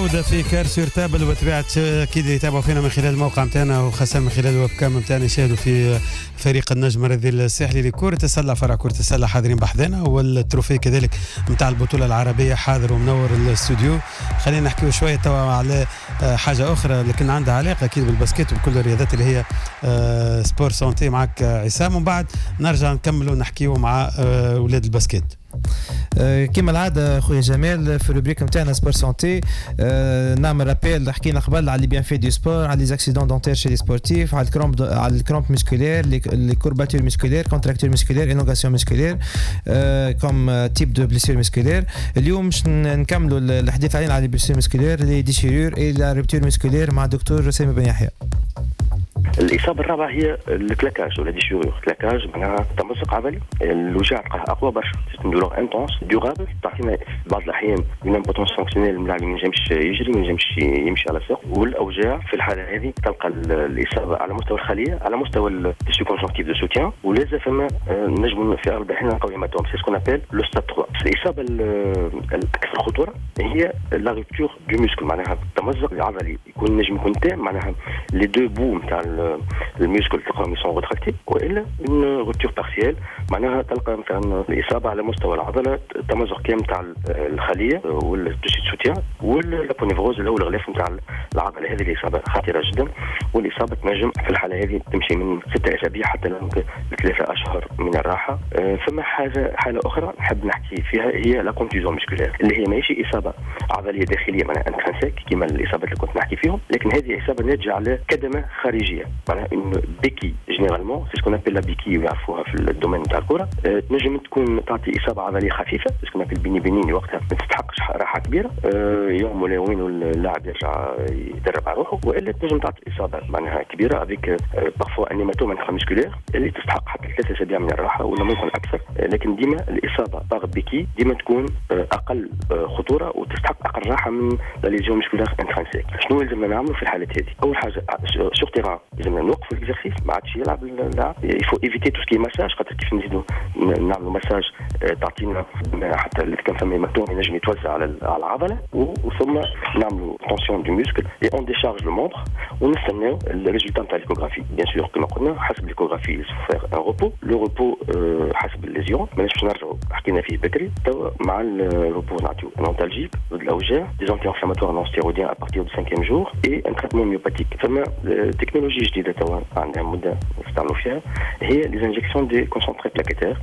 عودة في Carte sur Table، وبطبيعة أكيد يتابعوا فينا من خلال الموقع نتاعنا وخاصة من خلال ال webcam نتاعنا، يشاهدوا في فريق النجم الرياضي الساحلي لكرة السلة، فرع كرة السلة، حاضرين بحذنا، وال trophée كذلك نتاع البطولة العربية حاضر ومنور الاستوديو. خلينا نحكيو شوية توا على حاجة أخرى لكن عندها علاقة أكيد بال basket وبكل الرياضات، اللي هي sport santé، معك عصام، ومن بعد نرجع نكملوا نحكيو مع أولاد ال basket. كما العادة خويا جمال، في ال rubrique نتاعنا sport santé نعمل rappel، حكينا قبل على les bienfaits du sport، على les accidents dentaires chez les sportifs، على ال crampes، على ال crampes musculaires، les courbatures musculaires، contractures musculaires، élongation musculaire comme type de blessures musculaires. اليوم باش نكملوا الحديث علينا على les blessures musculaires، les déchirures et la rupture musculaire مع الدكتور سامي بن يحيى. الاصابة الرابعة هي ال claquage ولا déchirure. claquage معناها تمزق عضلي، الوجع تلقاه اقوى برشا، douleur intense durable، تعطينا في بعض الاحيان une impotence fonctionnelle، الملاعب ما ينجمش يجري، ما ينجمش يمشي على ساق. والاوجاع في الحالة هذه تلقى الاصابة على مستوى الخليه، على مستوى ال tissu conjonctif de soutien، ولازم فما نجم في اغلب الاحيان نلقاو hématome، c'est ce qu'on appelle le stade 3. الاصابة الاكثر خطورة هي la rupture du muscle، معناها التمزق العضلي يكون نجم يكون تام، معناها les deux bouts نتاع ال muscle تلقاهم sont rétractés، والا une rupture partielle، معناها تلقى مثلا الاصابة على مستوى العضله، التمزق كامل تاع الخلية وال tissu soutien وال aponévrose اللي هو الغلاف نتاع العضله. هذه الاصابة خطيرة جدا، والاصابه تنجم في الحالة هذه تمشي من 6 اسابيع حتى ل3 اشهر من الراحه. ثم حاله اخرى نحب نحكي فيها هي la contusion musculaire، اللي هي ماهيش اصابه عضلية داخليه، معناها intrinsèque كما الاصابات اللي كنت نحكي فيهم، لكن هذه اصابه ناتجة على كدمه خارجيه، معناها une béquille. généralement c'est ce qu'on appelle la béquille ويعرفوها في ال domaine نتاع الكره. تنجم تكون تعطي اصابه عضلية خفيفه، ce qu'on appelle béni bénigne، وقتها ما تستحقش راحة كبيره، يوم ولا يومين واللاعب يرجع يدرب على روحه، والا تنجم تعطي اصابه معناها كبيرة avec parfois un hématome intramusculaire اللي تستحق حتى 3 اسابيع من الراحة ولا ممكن اكثر. لكن ديما الاصابة par béquille ديما تكون اقل خطورة وتستحق اقل راحة من la lésion musculaire intrinsèque. شنو لازمنا نعملوا في الحالات هذه؟ اول حاجة sur terrain لازمنا نوقفوا l'exercice، ما عادش يلعب اللاعب. il faut éviter tout ce qui est massage، خاطر كيف نزيدوا نعملوا مساج تعطينا حتى اللي كان فما hématome ينجم يتوزع على العضله. وثم نعملوا tension du muscle et on décharge le membre ونستناو ال résultat نتاع l'échographie. bien sûr كما قلنا حسب l'échographie faire un repos، le repos حسب ال lésion، ماناش باش نرجعوا حكينا فيه بكري. توا مع ال repos نعطيو un antalgique ضد الاوجاع، des anti-inflammatoires non stéroïdiens à partir du cinquième jour et un traitement myopathique. فما تكنولوجيا جديدة توا عندها مده نستعملوا فيها، هي les injections des concentrés plaquettaires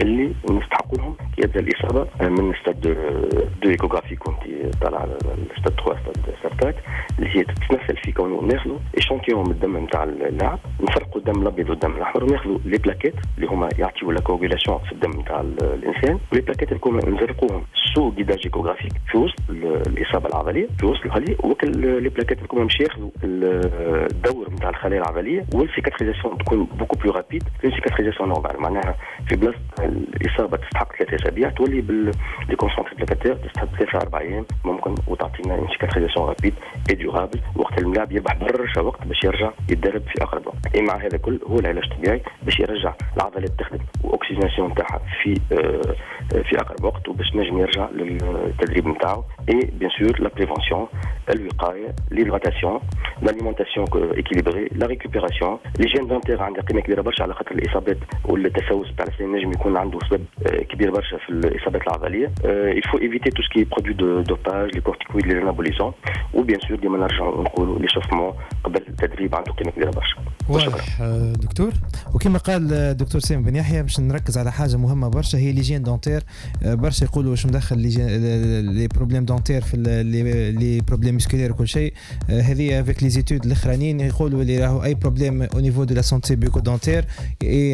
اللي نستحقوا لهم كي يبدا الاصابة من stade 2 échographie كنت طالع على ستاد 3، ستاد 4، اللي هي تتمثل في كونه ناخذوا échantillon من الدم نتاع اللاعب، نفرقوا الدم الابيض والدم الاحمر، وناخذوا les plaquettes اللي هما يعطيو la coagulation في الدم نتاع الانسان، و les plaquettes اللي نزرقوهم sous guidage échographique في وسط الاصابة العضليه، في وسط الخليه، وكل les plaquettes اللي باش ياخذوا الدور نتاع الخلايا العضليه، وال cicatrisation تكون beaucoup plus rapide، une cicatrisation normale، معناها في بلاصة الاصابة تستحق 3 اسابيع تولي بال les concentrés plaquettaires تستحق 3 4 ايام ممكن، وتعطينا une cicatrisation rapide et durable، وقت الملاعب يربح برشا وقت باش يرجع يتدرب في اقرب وقت. اي مع هذا كل هو العلاج الطبيعي باش يرجع العضلات تخدم و oxygénation تاعها في اقرب وقت، وباش نجم يرجع للتدريب نتاعو. et bien sûr la prévention، الوقايه، l'hydratation، l'alimentation équilibrée، la récupération، l'hygiène dentaire عندها قيمة كبيرة برشا، على خاطر الاصابات والتسوس تاع الاسنان نجم يكون عنده سبب كبير برشا في الاصابات العضليه. il faut éviter tout ce qui est produit de dopage، les corticoïdes، les anabolisants، و bien sûr ديما نرجعوا نقولوا l'échauffement قبل التدريب عنده قيمة كبيرة برشا. واضح دكتور. وكما قال الدكتور سامي بن يحيى، باش نركز على حاجة مهمة برشا هي l'hygiène dentaire. برشا يقولوا واش مدخل les problèmes dentaires في les problèmes musculaires وكل شيء. هذه avec les études الاخرانيين يقولوا اللي راهو اي problème au niveau de la santé bucco-dentaire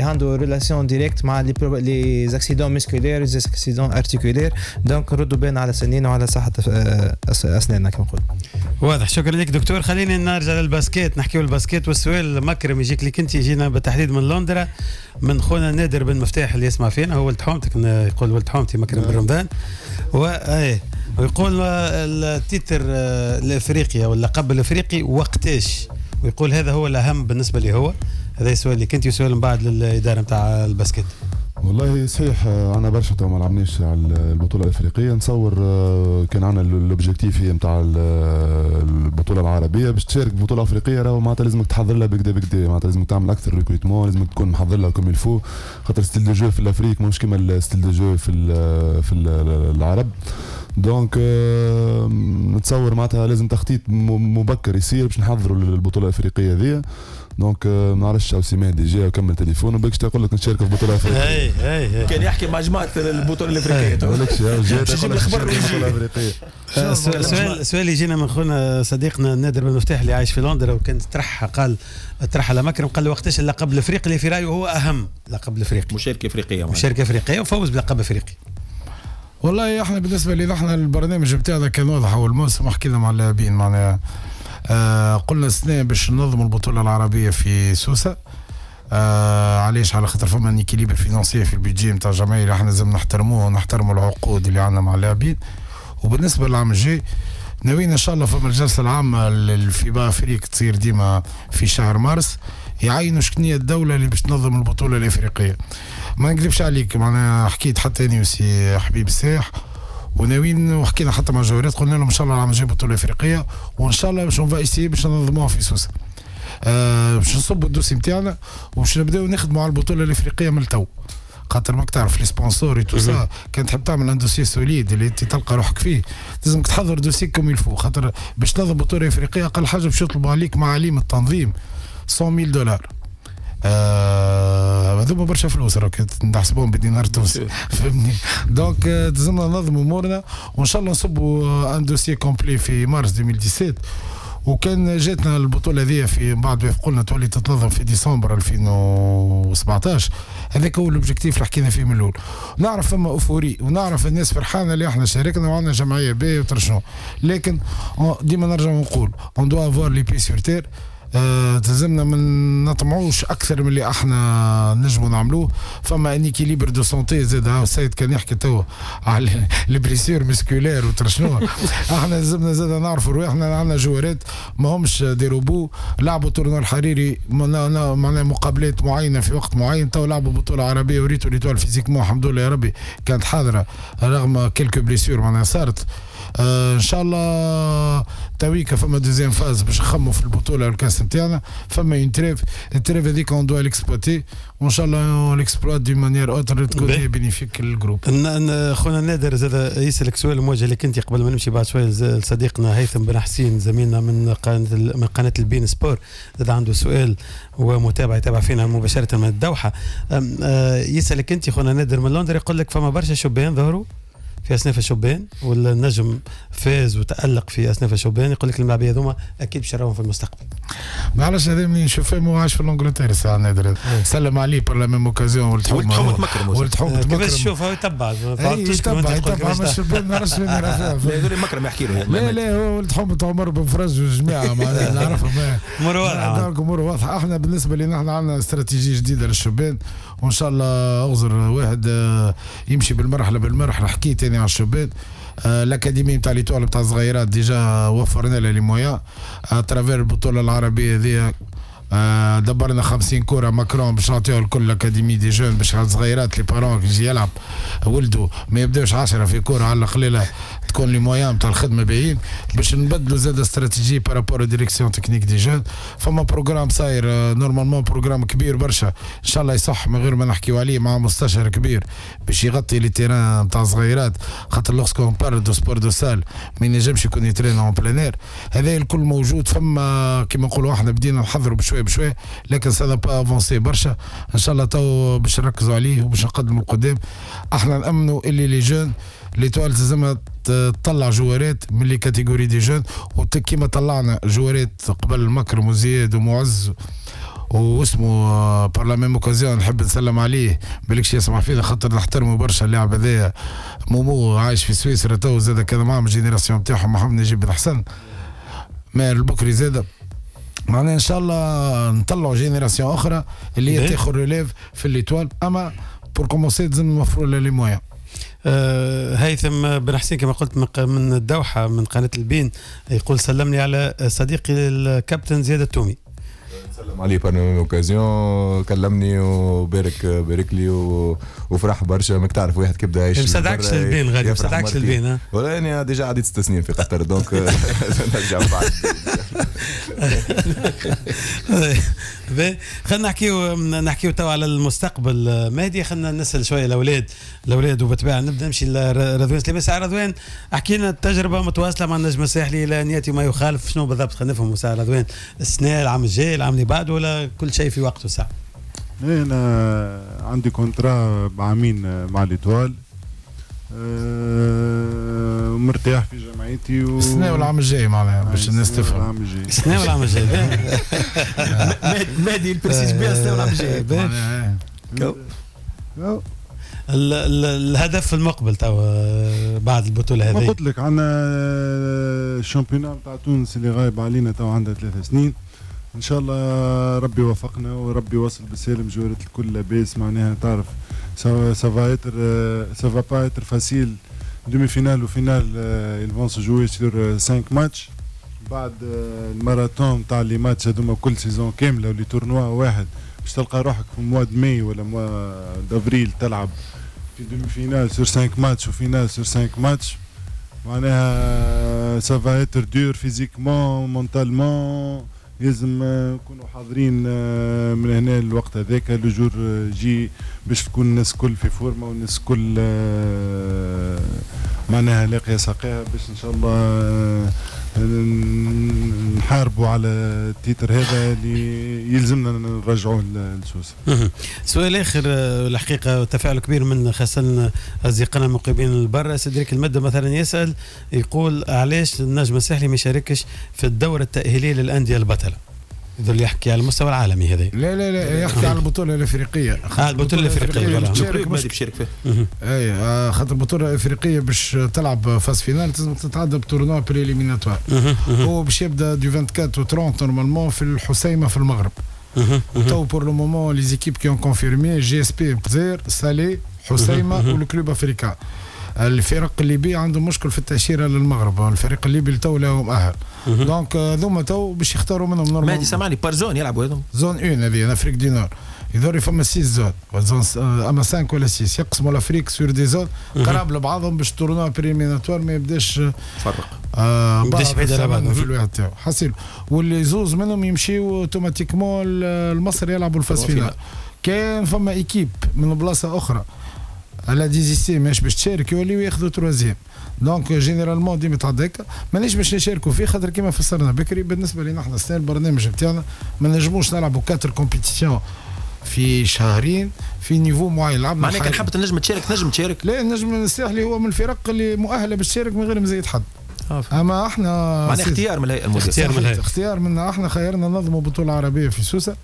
عنده relation directe مع les accidents musculaires، les accidents articulaires. donc ردوا بالنا على سنينا وعلى صحة اسناننا كما نقول. واضح، شكرا لك دكتور. خلينا نرجع لل basket، نحكيو ال basket، والسؤال مكرم يجيك لك انت، يجينا بالتحديد من لندرا من خونا نادر بن مفتاح اللي يسمع فينا، هو ولد حومتك، يقول ولد حومتي مكرم بن رمضان، و ايه ويقول ال titre الافريقي او اللقب الافريقي وقتاش؟ ويقول هذا هو الاهم بالنسبة لي. هو هذا السؤال اللي كنت وسؤال من بعد للادارة نتاع ال basket. والله صحيح، عندنا برشا تو ما لعبناش على البطولة الافريقيه. نتصور كان عندنا l'objectif هي نتاع البطولة العربيه. باش تشارك بطوله افريقية راهو معناتها لازمك تحضر لها بكدا بكدا، معناتها لازمك تعمل اكثر recrutement، لازمك تكون محضر لها comme il faut، خاطر style de jeu في l'Afrique مش كيما ال style de jeu في العرب. donc نتصور معناتها لازم تخطيط مبكر يصير باش نحضروا البطولة الافريقية هذه. donc ما نعرفش سي مهدي جا وكمل تليفون وباش تقول لك نشارك في البطولة الافريقيه. اي كان يحكي مع جماعة البطولة الافريقيه. بالكش جا الخبر البطولة الافريقيه. سؤال يجينا من خونا صديقنا نادر بن مفتاح اللي عايش في لندن، وكان طرح، قال طرح على مكرم، قال له وقتاش اللقب الافريقي اللي في رايه هو اهم لقب الافريقي؟ مشاركة افريقيه. مشاركة افريقية وفوز بلقب افريقي. والله احنا بالنسبة لنا احنا البرنامج بتاعنا كان واضح اول موسم، حكينا مع اللاعبين معناها قلنا السنة باش ننظم البطولة العربية في سوسه. علاش؟ على خاطر فما un équilibre financier في ال budget نتاع الجمعية اللي احنا لازم نحترموه ونحترموا العقود اللي عندنا مع اللاعبين. وبالنسبة للعام الجاي ناويين ان شاء الله فما الجلسة العامة لل FIBA Afrique تصير ديما في شهر مارس، يعينوا شكنية الدولة اللي باش تنظم البطولة الافريقية. ما نكذبش عليك معناها حكيت حتى انا وسي حبيب الساح وناويين، وحكينا حتى مع الجوارات، قلنا لهم ان شاء الله العام الجاي بطوله افريقية، وان شاء الله باش on va essayer باش ننظموها في سوسة. باش نصبوا ال dossier نتاعنا وباش نبداو نخدموا على البطولة الافريقية من التو، خاطر ماك تعرف les sponsors tout ça، كان تحب تعمل un dossier solide اللي انت تلقى روحك فيه لازمك تحضر dossier comme il faut، خاطر باش تنظم بطوله افريقية اقل حاجة باش يطلبوا عليك معاليم التنظيم $100,000. هذوما برشا فلوس راك نحسبوهم بالدينار التونسي، فهمتني؟ donc لازمنا ننظموا امورنا وان شاء الله نصبوا un dossier complet في مارس 2017. وكان جاتنا البطولة هذه في بعد ما قلنا تولي تتنظم في ديسمبر 2017، هذاك هو l'objectif اللي حكينا فيه من الاول. نعرف فما euphorie ونعرف الناس فرحانة اللي احنا شاركنا وعندنا جمعية باهيه وترشنو، لكن ديما نرجع ونقول on doit avoir les pieds sur terre. تلزمنا ما نطمعوش اكثر من اللي احنا نجموا نعملوه. فما un équilibre de santé زاد، السيد كان يحكي تو على les blessures musculaires وترشنو، احنا لازمنا زاد نعرفوا رواحنا، عندنا جوارات ما همش des robots، لعبوا tournoi الحريري معناها مقابلات معينة في وقت معين، تو لعبوا بطوله عربية وريتو l'Étoile physiquement الحمد لله يا ربي كانت حاضره رغم quelques blessures معناها صارت. ان شاء الله تويكا فما deuxième phase باش نخموا في البطولة والكاس نتاعنا، فما une trêve، ال trêve هذيك on doit l'exploiter وان شاء الله on l'exploite d'une manière autre تكون bénéfique لل groupe. خونا نادر زاد يسالك سؤال موجه لك انت قبل ما نمشي بعد شوية لصديقنا هيثم بن حسين زميلنا من قناة البين سبور، زاد عنده سؤال ومتابعة يتابع فينا مباشرة من الدوحة. يسالك انت خونا نادر من لندن، يقول لك فما برشا شبان ظهروا في اصناف الشبان والنجم فاز وتالق في اصناف الشبان، يقول لك الملاعبيه هذوما اكيد باش نراهم في المستقبل. معلش هذا منين نشوف فيه عايش في l'Angleterre ساعة نادر، سلم عليه par la même occasion ولد حومه مكرم، ولد حومه مكرم كيفاش تشوفه يتبع يتبع الشبان، ما نعرفش وين يرى فيها. لا مكرم يحكي له، لا لا هو ولد حومه عمر بن فرج والجماعة معناها نعرفهم امور واضحة، امور واضحة. احنا بالنسبة لنا احنا عندنا استراتيجية جديدة للشبان وان شاء الله اغزر واحد يمشي بالمرحلة بالمرحلة. حكيت انا على الشبان، l'académie نتاع l'Étoile نتاع الصغيرات déjà وفرنا لها les moyens à travers البطولة العربية هذه، دبرنا 50 كره ماكرون باش نعطيوها لكل l'académie des jeunes باش الصغيرات les parents يجي يلعب ولده ما يبداوش 10 في كره، على القليلة تكون les moyens نتاع الخدمة باهيين باش نبدلوا زاد stratégie par rapport direction technique des jeunes. فما programme صاير normalement programme كبير برشا ان شاء الله يصح من غير ما نحكيو عليه، مع مستشار كبير باش يغطي les terrains نتاع الصغيرات، خاطر lorsqu'on parle de sport de salle ما ينجمش يكون يترين en plein air. هذا الكل موجود، فما كيما نقولوا احنا بدينا نحضروا بشوية بشوية، لكن ça n'a pas avancé برشا. ان شاء الله تو باش نركزوا عليه وباش نقدموا القدام. احنا نامنوا اللي les jeunes l'Étoile لازمها تطلع جوارات من les catégories des jeunes، وكيما طلعنا جوارات قبل مكرم وزياد ومعز واسمه par la même occasion نحب نسلم عليه بالكش يسمع فينا خاطر نحترمه برشا اللاعب هذايا مومو عايش في سويسرا تو زاد كان معاهم ال génération نتاعهم محمد نجيب بن حسن ماهر البكري زاد، معناها ان شاء الله نطلعوا génération اخرى اللي هي تاخذ relève في l'Étoile، اما pour commencer لازم نوفروا les moyens. هيثم بن حسين كما قلت من الدوحة من قناة البين يقول سلمني على صديقي الكابتن زياد التومي. نسلم نسلم عليه par occasion، كلمني وبارك بارك لي وفرح برشا. ماك تعرف واحد كيبدا يعيش ما صدقش البين غادي، ما صدقش البين. ولا انا déjà عديت 6 سنين في قطر، donc نرجع بعد. خلينا نحكيو تو على المستقبل مهدي. خلينا نسال شوية الاولاد وبالطبيعه نبدا نمشي لرضوان سليمان. ساعة رضوان، احكي لنا التجربة متواصلة مع النجم الساحلي الى ان ياتي ما يخالف، شنو بالضبط؟ خلينا نفهموا ساعة رضوان، السنة، العام الجاي، العام اللي بعده، ولا كل شيء في وقته ساعة؟ انا عندي contrat بعامين مع l'Étoile، مرتاح في جمعيتي السنة والعام الجاي، معناها باش الناس تفهم. العام الجاي. السنة والعام الجاي. مهدي ال précise bien، السنة والعام الجاي. الهدف المقبل تو بعد البطولة هذه؟ ما قلت لك، عندنا ال championnat نتاع تونس اللي غايب علينا تو عندها 3 سنين. ان شاء الله ربي يوفقنا وربي يوصل بالسالم، جوارات الكل لاباس. معناها تعرف ça va être ça va pas être facile، demi-finale و finale ils vont se jouer sur 5 matchs. بعد الماراثون تاع les matchs هذوما كل saison كاملة و les tournois واحد، باش تلقى روحك في mois de mai ولا mois d'avril تلعب في demi-finale sur 5 matchs و finale sur 5 ماتش. معناها ça va être dur physiquement، mentalement. لازم نكونوا حاضرين من هنا الوقت هذاك، le jour J، باش تكون الناس الكل في forme والناس الكل معناها لاقيه ساقيها، باش ان شاء الله نحاربوا على ال titre هذا اللي يلزمنا نرجعوه لسوسه. سؤال اخر، الحقيقة تفاعل كبير من خاصة اصدقائنا المقيمين البرة. سيدريك المدة مثلا يسال يقول علاش النجم الساحلي ما يشاركش في الدورة التاهيليه للاندية البطلة؟ يظل يحكي على المستوى العالمي هذا. لا لا لا، يحكي على البطولة الافريقيه. آه، البطولة الافريقيه. تشارك، بيشارك فيها. اي خاطر البطولة الافريقية باش تلعب phase finale لازم تتعدى ب tournoi préliminatoire. هو باش يبدا du 24 au 30 normalement في الحسيمه في المغرب. تو pour le moment les équipes qui ont confirmé: GSP الجزائر، سالي، حسيمه وال Club Africain. الفرق الليبية عندهم مشكل في التاشيره للمغرب، الفريق الليبي تو لا مؤهل، donc ذوما تو باش يختاروا منهم normal. مهدي سامعني، par zone يلعبوا هذوم؟ zone 1 هذه Afrique du Nord، يظهر فما 6 zones، zone اما 5 ولا 6، يقسموا l'Afrique sur des zones قراب لبعضهم باش tournoi préliminatoire ما يبداش فرق. يبداش بعيد على بعض. في الواحد تاعو حسيل، واللي زوز منهم يمشيو automatiquement المصر يلعبوا ال phase finale. كان فما équipe من بلاصة اخرى elle a désisté ماش باش تشارك، يوليو ياخذوا troisième. donc généralement ديما تعدى هكا. مانيش باش نشاركوا فيه خاطر كيما فسرنا بكري، بالنسبة لنا احنا السنة البرنامج نتاعنا ما نجموش نلعبوا quatre compétitions في شهرين في niveau معين. لعبنا، معناها كان حابب تنجم تشارك، تنجم تشارك. لا، النجم الساحلي هو من الفرق اللي مؤهلة باش تشارك من غير مزيد حد. اما احنا معناها اختيار من الهيئة المديرة. اختيار من الهيئه. اختيار منا احنا، خيرنا ننظموا بطوله عربية في سوسة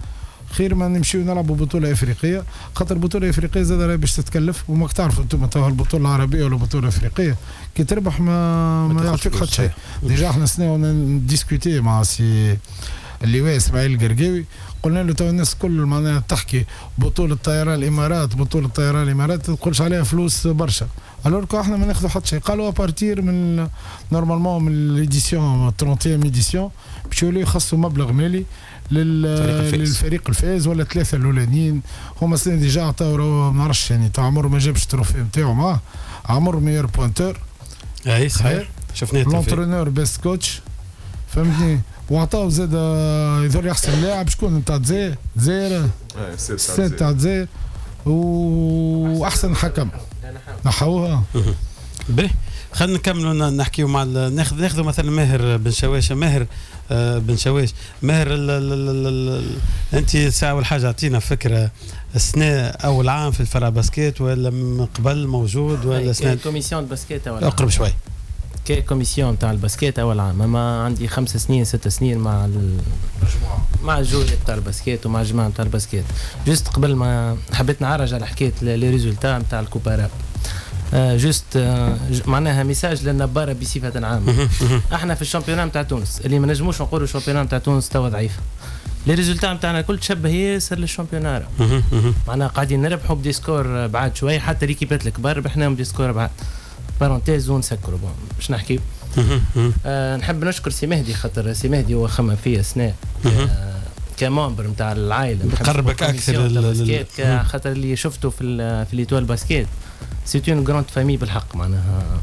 خير ما نمشيو نلعبوا بطوله افريقيه، خاطر البطولة الافريقية زاد راهي باش تتكلف. وماك تعرفوا انتم تو البطولة العربية ولا البطولة الافريقية كي تربح ما يعطيك حتى شيء. déjà احنا سنة discuté مع سي اللواء اسماعيل القرقاوي، قلنا له تو الناس كل معناها تحكي بطولة طيران الامارات، بطولة طيران الامارات تقولش عليها فلوس برشا، alors que احنا ما ناخذوا حتى شيء. قالوا à partir من normalement من l'édition 31 édition باش يوليو يخصوا مبلغ مالي للفريق الفائز ولا ثلاثة الاولانيين. هما سنة déjà عطاو، ما نعرفش يعني تو عمر ما جابش ال trophée نتاعو معاه، عمر meilleur pointeur. اي صحيح، شفناه. l'entraîneur best coach، فهمتني؟ وعطاو زاد يظهر احسن لاعب شكون نتاع الجزائر، الجزائر السيد تاع الجزائر، واحسن حكم نحوها. باهي، خلينا نكملوا نحكيو مع ناخذ مثلا ماهر بن شواشه. ماهر بن شواش، ماهر ال ال ال ال انت ساعة اول حاجة اعطينا فكره، السنة اول عام في الفرع basket ولا من قبل موجود ولا سنة؟ commission basket اول. اقرب شوي. commission تاع ال basket اول عام، اما عندي 5 سنين 6 سنين مع المجموعه، مع ال joueurs تاع ال basket ومع الجماعة تاع ال basket. juste قبل ما حبيت نعرج على حكاية les résultats نتاع ال coupe arabe، juste معناها message للنباره بصفة عامه. احنا في ال championnat نتاع تونس اللي ما نجموش نقولوا ال championnat نتاع تونس توا ضعيف، les résultats نتاعنا الكل تشبه ياسر لل championnat، معناها قاعدين نربحوا ب des scores بعاد شوي، حتى les équipes الكبار ربحناهم ب des scores بعاد. parenthèse ونسكروا. bon باش نحكي، نحب نشكر سي مهدي خاطر سي مهدي هو خمم فيا سنة. ك membre نتاع العائلة، قربك اكثر ال basket، خاطر اللي شفته في l'Étoile basket c'est une grande famille بالحق. معناها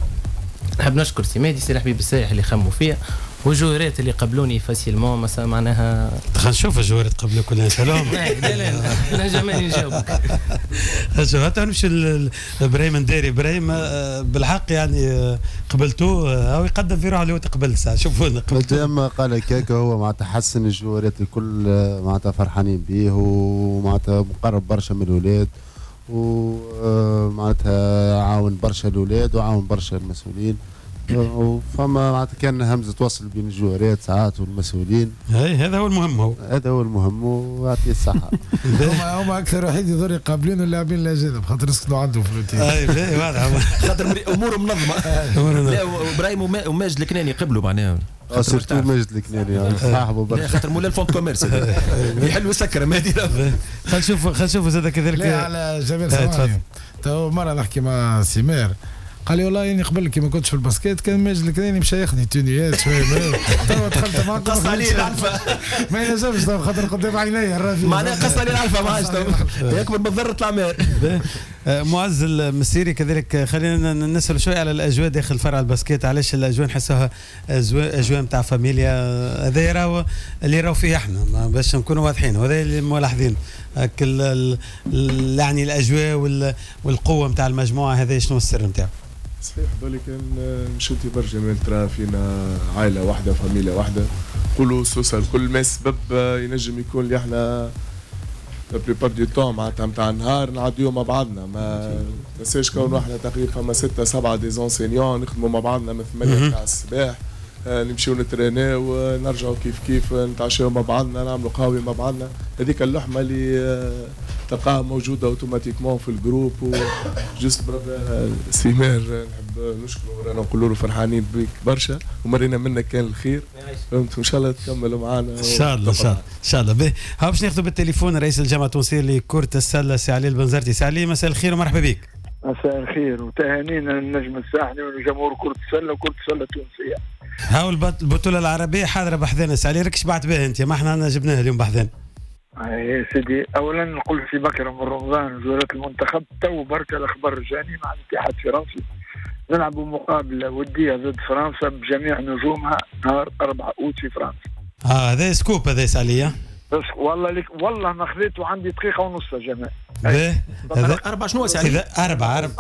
نحب نشكر سي مهدي، سي الحبيب السايح اللي خموا فيا، وجوهرات اللي قبلوني facilement مثلا معناها. خلينا نشوف الجوهرات قبلوك ولا نسالهم. لا لا لا jamais نجاوبك. شوف حتى نمشي لابراهيم نداري. ابراهيم بالحق يعني قبلتوه او يقدم في روحه اللي هو تقبل ساعة. شوفوا قبلتوه اما قال هكاك هو معناتها حسن الجوهرات الكل معناتها فرحانين به ومعناتها مقرب برشا من الاولاد ومعناتها عاون برشا الاولاد وعاون برشا المسؤولين، وفما معناتها كان همزه وصل بين الجوارات ساعات والمسؤولين. اي هذا هو المهم، هو هذا هو المهم ويعطيه الصحة. هما اكثر وحيد يضر يقابلين اللاعبين الاجانب خاطر يسكنوا عنده في الأوتيل. اي واضح خاطر اموره منظمة. لا ابراهيم وماجد الكناني قبلوا معناها، surtout ماجد الكناني صاحبه برشا خاطر مولا ال fonds de commerce يحل ويسكر مهدي. خلينا نشوف زاد كذلك. لا على جمال سامعني تو مرة نحكي مع سمير قال لي والله اني قبل كي ما كنتش في ال basket كان ماجد الكناني مشى ياخذني تونيات شوية، تو دخلت معاك قص عليه العلفه ما ينجمش خاطر قدام عيني الرافي معناها قص عليه العلفه ما عادش يكبر بالضر طلع مار. معز المسيري كذلك خلينا نسال شوية على الاجواء داخل فرع ال basket. علاش الاجواء نحسوها اجواء نتاع فاميليا؟ هذا راهو اللي راهو فيه احنا باش نكونوا واضحين، وهذا اللي ملاحظين يعني الاجواء والقوه نتاع المجموعة، هذا شنو السر نتاعو؟ صحيح بالي كان مشيتي برشا جمال ترى فينا عائلة واحدة فاميليا واحدة كله سوسة الكل، ما السبب ينجم يكون اللي احنا la plupart du temps معناتها نتاع النهار نعديو مع بعضنا، ما تنساش كون احنا تقريبا فما 6 7 des enseignants نخدموا مع بعضنا من 8 تاع الصباح، نمشيو نتريناو نرجعوا كيف كيف نتعشاو مع بعضنا نعملوا قهوة مع بعضنا، هذيك اللحمة اللي تلقاها موجودة automatiquement في ال groupe. و juste سيمير نحب نشكره رانا نقولوا له فرحانين بك برشا ومرينا منك كان الخير، فهمت، وان شاء الله تكملوا معنا ان شاء الله. ان شاء الله ان شاء الله. به ها باش ناخذوا بالتليفون رئيس الجامعة التونسية لكرة السلة سي علي البنزرتي. سي علي مساء الخير ومرحبا بك. مساء الخير وتهانينا للنجم الساحلي ولجمهور كرة السلة وكرة السلة التونسية. هاو البطولة العربية حاضرة بحذانا سي علي، راك شبعت بها أنت، ما احنا جبناها اليوم بحذانا. يا سيدي أولا نقول في بكرة من رمضان جولات المنتخب تو بركة الأخبار جاني مع الاتحاد الفرنسي نلعبوا مقابلة ودية ضد فرنسا بجميع نجومها نهار 4 أوت في فرنسا. هذا scoop هذا سي علي. بس والله لك والله ما خذيته عندي دقيقة ونص يا جماعة. أربعة شنو سي علي؟ أربعة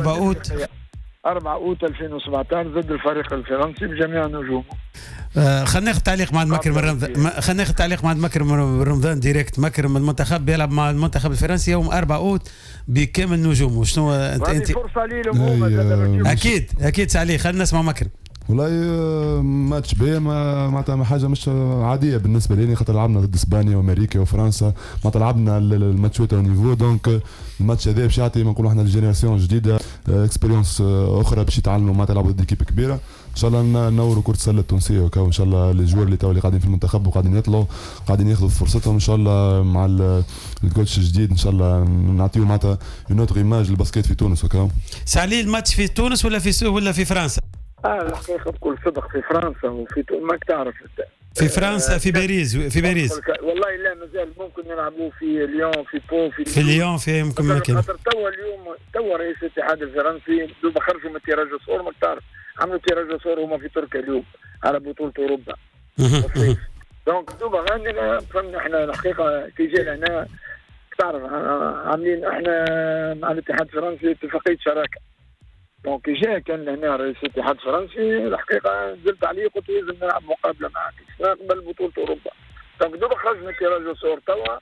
أوت 4 أوت 2017 ضد الفريق الفرنسي بجميع نجومه. خلينا ناخذ تعليق مع مكرم رمضان، خلينا ناخذ تعليق مع مكرم رمضان direct. مكرم المنتخب بيلعب مع المنتخب الفرنسي يوم 4 أوت بكامل نجومه، شنو انت فرصة ليهم هما. اكيد اكيد سي علي، خلينا نسمع مكرم. والله ماتش باهي معناتها حاجة مش عادية بالنسبة لي، خاطر لعبنا ضد اسبانيا وامريكا وفرنسا، معناتها لعبنا الماتشات au niveau، donc الماتش هذا باش يعطي ما نقولوا احنا ال génération الجديدة expérience اخرى باش يتعلموا معناتها يلعبوا ضد équipe كبيرة. ان شاء الله نوروا كره السلة التونسية وكا، وان شاء الله les joueurs اللي تو اللي قاعدين في المنتخب وقاعدين يطلعوا قاعدين ياخذوا فرصتهم ان شاء الله مع ال coach الجديد ان شاء الله نعطيو معناتها une autre image لل basket في تونس وكا. سي علي الماتش في تونس ولا في فرنسا؟ الحقيقة بكل صدق في فرنسا وفي ماك تعرف في فرنسا في باريس في باريس. والله لا مازال ممكن نلعبوا في ليون في بو في ليون في يمكن مكان. خاطر توا اليوم توا رئيس الاتحاد الفرنسي دوب خرجوا من tirage au sort ماك تعرف عملوا tirage au sort هما في تركيا اليوم على بطولة أوروبا. donc دوب عندنا فهمنا احنا الحقيقة كي جينا هنا تعرف عاملين احنا مع الاتحاد الفرنسي اتفاقية شراكة. donc جاء كان هنا رئيس الاتحاد الفرنسي الحقيقة نزلت عليه قلت لازم نلعب مقابله معك قبل بطوله اوروبا. donc دوبا خرجنا tirage au sort توا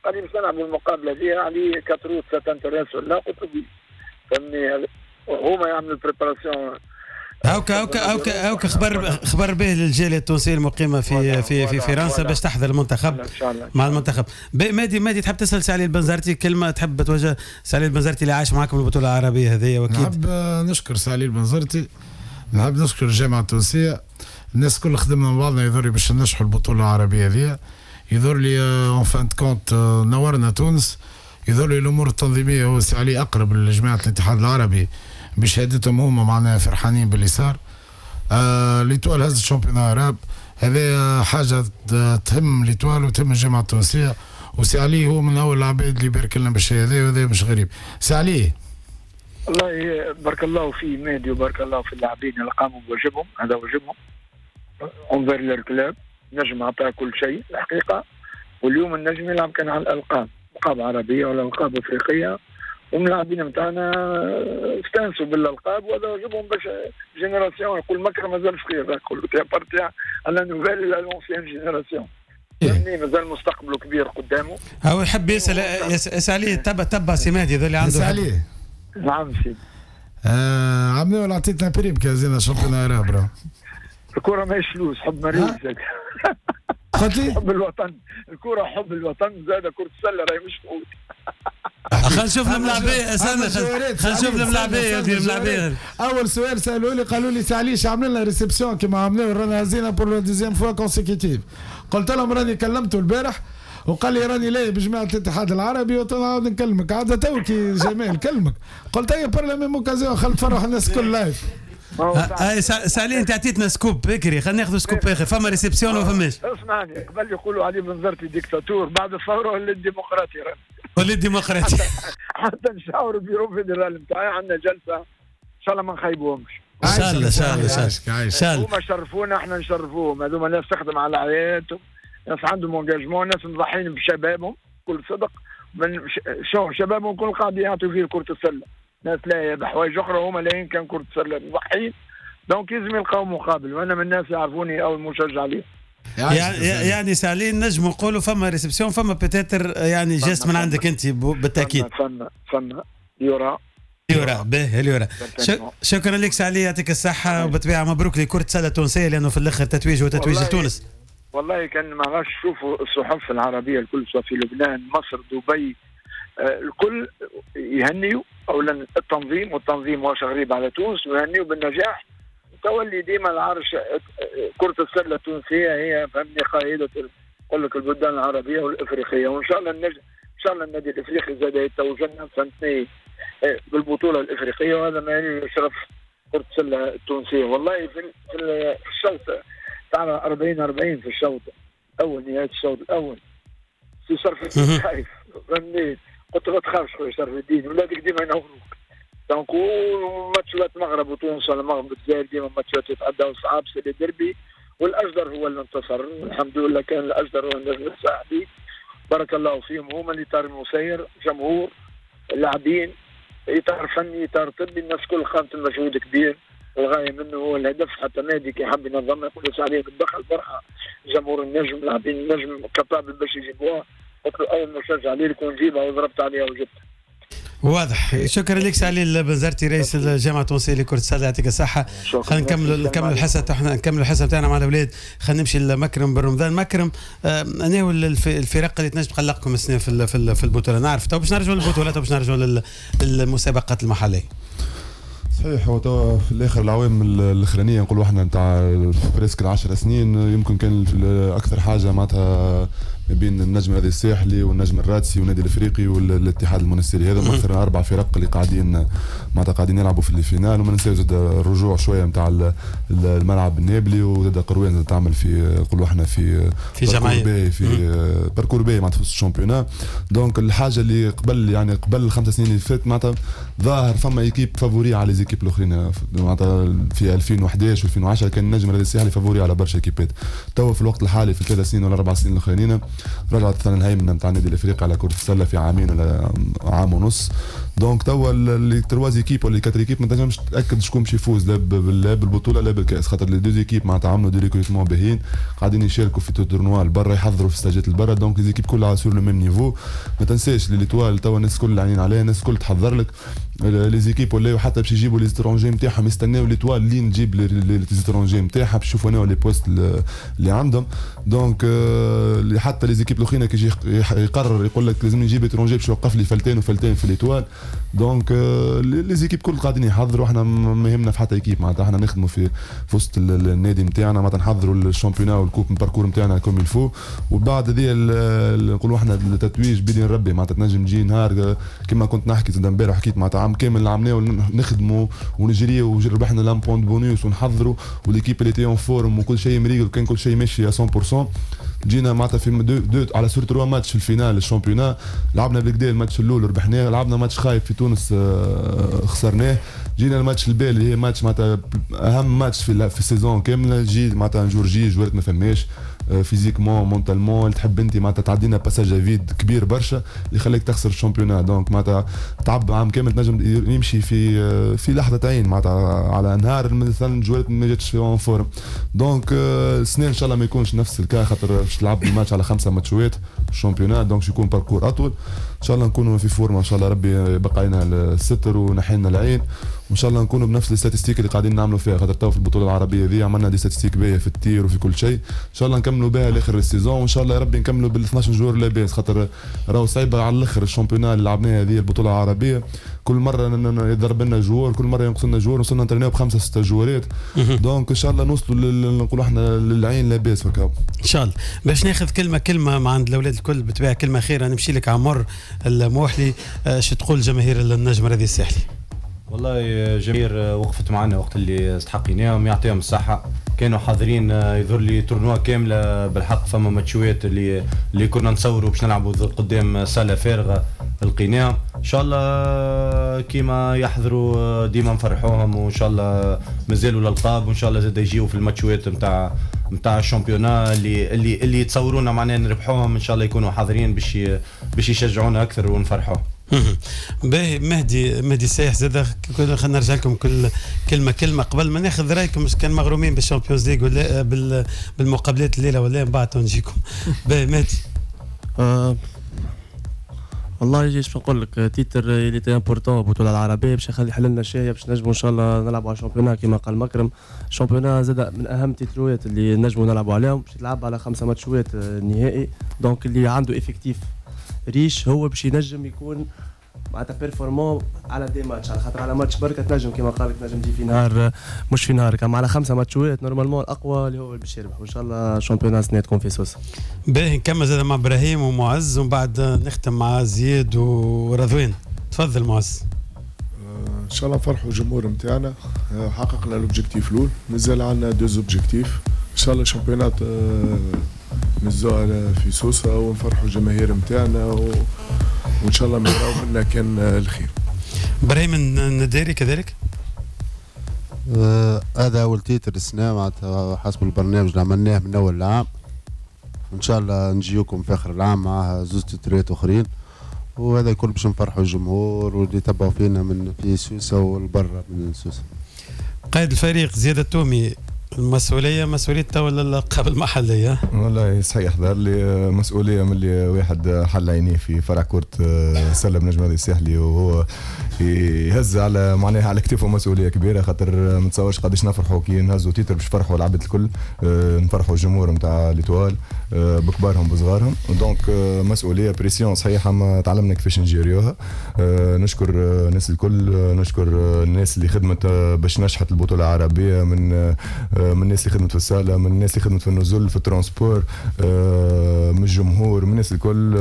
قال لي باش نلعبوا المقابلة دي علي quatre août ça t'intéresse ولا قلت له فهمني هما يعملوا ال préparation. هاوكا هاوكا هاوكا هاوكا خبر به للجاليه التونسية المقيمه في في في فرنسا باش تحضر المنتخب مع المنتخب. مادي تحب تسال سي علي البنزرتي كلمة، تحب توجه سي علي البنزرتي اللي عايش معاكم البطولة العربية هذه؟ واكيد نحب نشكر سي علي البنزرتي، نحب نشكر الجامعة التونسية، الناس الكل خدمنا مع بعضنا يظهر لي باش ننجحوا البطولة العربية هذه. يظهر لي en fin de compte نورنا تونس، يظهر لي الامور التنظيمية هو سي علي اقرب لجماعة الاتحاد العربي بشهادتهم هما معناها فرحانين باللي صار. l'Étoile هز ال championnat arabe، هذا حاجة تهم l'Étoile وتهم الجامعة التونسيه، وسي علي هو من اول العباد اللي بارك لنا بالشيء هذا، وهذا مش غريب. سي علي والله بارك الله في مهدي وبارك الله في اللاعبين اللي قاموا بواجبهم، هذا واجبهم envers leur club. نجم عطاه كل شيء الحقيقه، واليوم النجم يلعب كان على الالقاب، القاب عربية ولا القاب افريقيه، والملاعبين نتاعنا استانسوا بالالقاب وهذا واجبهم باش génération. يقول مكرم مازال صغير، يقول appartient à la nouvelle à l'ancienne génération، فهمني مازال مستقبله كبير قدامه. هو يحب يسال عليه، تبع سي مهدي هذا اللي عنده. عليه. نعم سيدي. عملوا عطيتنا prime كي هزينا championnat arabe. الكرة ماهيش فلوس، حب مريض زاد. قلت لي؟ حب الوطن، الكرة حب الوطن زاد، كرة السلة راهي مش فلوس. خلينا نشوف الملاعبية، استنى خلينا نشوف الملاعبية الملاعبية. أول سؤال سألوا لي قالوا لي سي علي عمل لنا réception كيما عملنا رانا هزينا pour la deuxième fois consécutive. قلت لهم راني كلمته البارح وقال لي راني لاهي بجماعة الاتحاد العربي وتنعاود نكلمك. عاد تو كي جمال كلمك قلت هيا par la même occasion خل تفرح الناس الكل live. اي سي علي انت عطيتنا scoop بكري، خلينا ناخذ scoop اخر، فما réception ولا فماش؟ اسمعني، قبل يقولوا علي بنزرتي ديكتاتور، بعد الثورة ولا الديمقراطي، ولا الديمقراطي. حتى نشاور ال bureau fédéral نتاعي، عندنا جلسه ان شاء الله ما نخيبوهمش. ان شاء الله ان شاء الله ان شاء الله. هما شرفونا احنا نشرفوهم، هذوما ناس تخدم على عائلاتهم، ناس عندهم engagement، ناس مضحين بشبابهم بكل صدق، من شو شبابهم كل قاعد يعطوا فيه كرة السلة، ناس لا بحوايج اخرى هما لاين كان كرة السلة مضحين، donc لازم يلقاو مقابل، وانا من الناس يعرفوني اول مشجع ليه. يعني سي علي نجم نقولوا فما réception، فما peut-être يعني geste من عندك انت بالتاكيد. فما يرى باهي اليورا. شكرا لك سي علي، يعطيك الصحة، وبالطبيعة مبروك لكرة السلة التونسية لأنه في الآخر تتويج وتتويج لتونس. والله كان ما غاش شوفوا الصحف العربية الكل، سواء في لبنان، مصر، دبي، الكل يهنيوا أولا التنظيم، والتنظيم واش غريب على تونس، ويهنيوا بالنجاح. تولي ديما العرش كرة السلة التونسية هي فهمني قائدة نقول لك البلدان العربية والإفريقية، وإن شاء الله النجم إن شاء الله النادي الإفريقي زاد يتوجنا فهمتني بالبطولة الإفريقية، وهذا ما يعني شرف كرة السلة التونسية. والله في الشوط تاع 40-40 في الشوط الأول، نهاية الشوط الأول سي شرف الدين خايف فهمني، قلت له ما تخافش خويا شرف الدين، ولادك ديما ينوروك. donc ماتشات المغرب وتونس ولا المغرب والجزائر ديما ماتشات يتعداو صعاب، c'est les derbys، والاجدر هو اللي انتصر الحمد لله، كان الاجدر هو النجم الساحلي، بارك الله فيهم، هما الاطار المسير، جمهور، اللاعبين، اطار فني، اطار طبي، الناس كل قامت بمجهود كبير، الغاية منه هو الهدف. حتى نادي كي حب ينظم يقول عليه بالدخل فرحه جمهور النجم، لاعبين النجم capable باش يجيبوها، قلت له اول مشجع عليه يكون جيبها وضربت عليها وجبتها. واضح. شكرا لك سي علي البنزرتي رئيس الجامعة التونسية لكرة السلة، يعطيك الصحة. خلينا نكملوا الحصة احنا، نكملوا الحصة نتاعنا مع الاولاد. خلينا نمشي لمكرم بن رمضان. مكرم، انا هو الفرق اللي تنجم تقلقكم السنة في البطولة؟ نعرف تو باش نرجعوا للبطولات وباش نرجعوا للمسابقات المحلية. صحيح، هو توا في الاخر العوام الاخرانية نقولوا احنا نتاع presque 10 سنين يمكن كان اكثر حاجة معناتها ما بين النجم الرياضي الساحلي والنجم الرادسي والنادي الافريقي والاتحاد المونستيري، هذا اكثر 4 فرق اللي قاعدين معناتها قاعدين يلعبوا في ال finale. وما ننساوش زاد الرجوع شوية نتاع الملعب النابلي، وزاد قروان زاد تعمل في نقولوا احنا في جمعية في parcours باهي معناتها في ال championnat. donc الحاجة اللي قبل يعني قبل 5 سنين اللي فاتت معناتها ظاهر فما équipe favorite على les équipes الاخرين، معناتها في 2011 و2010 كان النجم الرياضي الساحلي favori على برشا équipe ات. توا في الوقت الحالي في 3 سنين ولا 4 سنين الاخرانيين رجعت مثلا الهيمنة نتاع النادي الافريقي على كره السلة في عامين ولا عام ونص. donc توا les 3 équipes ولا 4 équipes ما تنجمش تاكد شكون باش يفوز لا بالبطولة لا بالكاس، خاطر les 2 équipes معناتها عملوا des recrutements باهيين، قاعدين يشاركوا في tournois البرا، يحضروا في stage ات البرا، donc les équipes كلها sur le même niveau. ما تنساش l'Étoile توا الناس الكل عينين عليها، الناس الكل تحضر لك les équipes ولاو حتى باش يجيبوا les étrangers نتاعهم يستناو l'Étoile لين تجيب les étrangers نتاعها باش يشوفوا les postes اللي عندهم. donc حتى les équipes الاخرين كي يجي يقرر يقول لك لازم نجيب étranger باش يوقف لي فلتين وفلتين في l'Étoile. donc les équipes كل قاعدين يحضروا، احنا ما يهمنا في حتى équipe، معناتها احنا نخدموا في وسط النادي نتاعنا، معناتها نحضروا ال championnat وال coupe parcours نتاعنا comme il faut. وبعد هذه نقولوا احنا التتويج بيدين ربي، معناتها تنجم تجي نهار كما كنت نحكي زاد امبارح، حكيت معناتها عام كامل عملناه نخدموا ونجري وربحنا l'un point bonus ونحضروا و l'équipe elle était en forme وكل شيء مريقل وكان كل شيء ماشي 100%. جينا معناتها في deux على sur trois matchs في ال finale ال championnat لعبنا بالكدا الماتش الاول ربحناه، لعبنا ماتش خايب في تونس خسرناه. جينا الماتش البال اللي هي ماتش معناتها اهم ماتش في ال saison كاملة، جي معناتها jour J جوارت ما فماش physiquement mentalement اللي تحب انت معناتها تعدينا passage à vide كبير برشا اللي خليك تخسر ال championnat. donc معناتها تعب عام كامل تنجم يمشي في لحظة عين معناتها على نهار مثلا جوارت ما جاتش en forme. donc السنة ان شاء الله ما يكونش نفس ال cas خاطر باش تلعب الماتش على 5 ماتشوات ال championnat، donc يكون parcours اطول. ان شاء الله نكونوا في forme، ان شاء الله ربي يبقى علينا الستر ونحينا العين، وان شاء الله نكونوا بنفس ال statistiques اللي قاعدين نعملوا فيها خاطر تو في البطولة العربية ذي عملنا des statistiques باهيه في ال tir وفي كل شيء. ان شاء الله نكملوا بها لاخر ال saison، وان شاء الله يا ربي نكملوا بال 12 joueurs لاباس خاطر راهو صعيبة على الاخر ال championnat اللي لعبناها هذه البطولة العربية. كل مرة يضرب لنا joueur، كل مرة ينقص لنا joueur، وصلنا نترينيو ب5 6 جوارات. donc ان شاء الله نوصلوا نقولوا احنا للعين لاباس وكا ان شاء الله. باش ناخذ كلمة كلمة مع عند الاولاد الكل بالطبيعة كلمة اخيرة، نمشي لك عمر الموحلي، شو تقول جماهير النجم الرياضي الساحلي؟ والله جماهير وقفت معنا وقت اللي استحقيناهم، يعطيهم الصحة، كانوا حاضرين. يظهر لي tournoi كاملة بالحق، فما ماتشوات اللي كنا نصوروا باش نلعبوا قدام صالة فارغة لقيناهم. ان شاء الله كيما يحضروا ديما نفرحوهم، وان شاء الله مازالوا الالقاب، وان شاء الله زاد يجيو في الماتشوات نتاع ال championnat اللي يتصورونا معناها نربحوهم. ان شاء الله يكونوا حاضرين باش يشجعونا اكثر ونفرحوهم. باهي مهدي السايح زاد خلينا نرجع لكم كل كلمة كلمة قبل ما ناخذ رايكم كان مغرومين بال Champions League ولا بالمقابلات الليلة ولا من بعد نجيكم. باهي مهدي. والله ايش نقول لك، titre il était important البطولة العربية باش يخلي حل لنا الشهية باش نجموا ان شاء الله نلعبوا على ال championnat كما قال مكرم. ال championnat زاد من اهم تيتروات اللي نجموا نلعبوا عليهم، باش تلعب على 5 ماتشوات النهائي. donc اللي عنده effectif riche هو باش ينجم يكون معناتها performant على des matchs، على خاطر على ماتش بركة تنجم كما قال لك تنجم تجي في نهار مش في نهارك، اما على 5 ماتشات normalement الاقوى اللي هو باش يربح. وان شاء الله championnat سنة تكون في سوسة. باهي نكمل زاد مع ابراهيم ومعز ومن بعد نختم مع زياد ورضوان. تفضل معز. ان شاء الله نفرحوا الجمهور نتاعنا، حققنا l'objectif الاول، مازال عندنا deux objectifs. ان شاء الله championnat نزوها في سوسة ونفرحوا الجماهير نتاعنا وان شاء الله ما يراو منا كان الخير. ابراهيم النداري كذلك. هذا اول titre السنة معناتها حسب البرنامج اللي عملناه من اول العام. ان شاء الله نجيوكم في اخر العام مع زوج تترات اخرين، وهذا الكل باش نفرحوا الجمهور واللي يتبعوا فينا من في سوسة والبرة من سوسة. قائد الفريق زياد التومي، المسؤولية مسؤولية تولى الألقاب المحلية. والله صحيح، ظهر لي مسؤولية من اللي واحد حل عينيه في فرع كرة السلة بنجم الرياضي الساحلي، وهو يهز على معناها على كتفه مسؤولية كبيرة، خاطر ما تصورش قداش نفرحوا كي نهزوا titre باش نفرحوا العباد الكل، نفرحوا الجمهور نتاع l'Étoile بكبارهم بصغارهم. donc مسؤولية pression صحيحة، ما تعلمنا كيفاش نجيريوها. نشكر الناس الكل، نشكر الناس اللي خدمت باش نجحت البطولة العربية، من الناس اللي خدمت في الصاله، من الناس اللي خدمت في النزل، في ال transport، من الجمهور، من الناس الكل.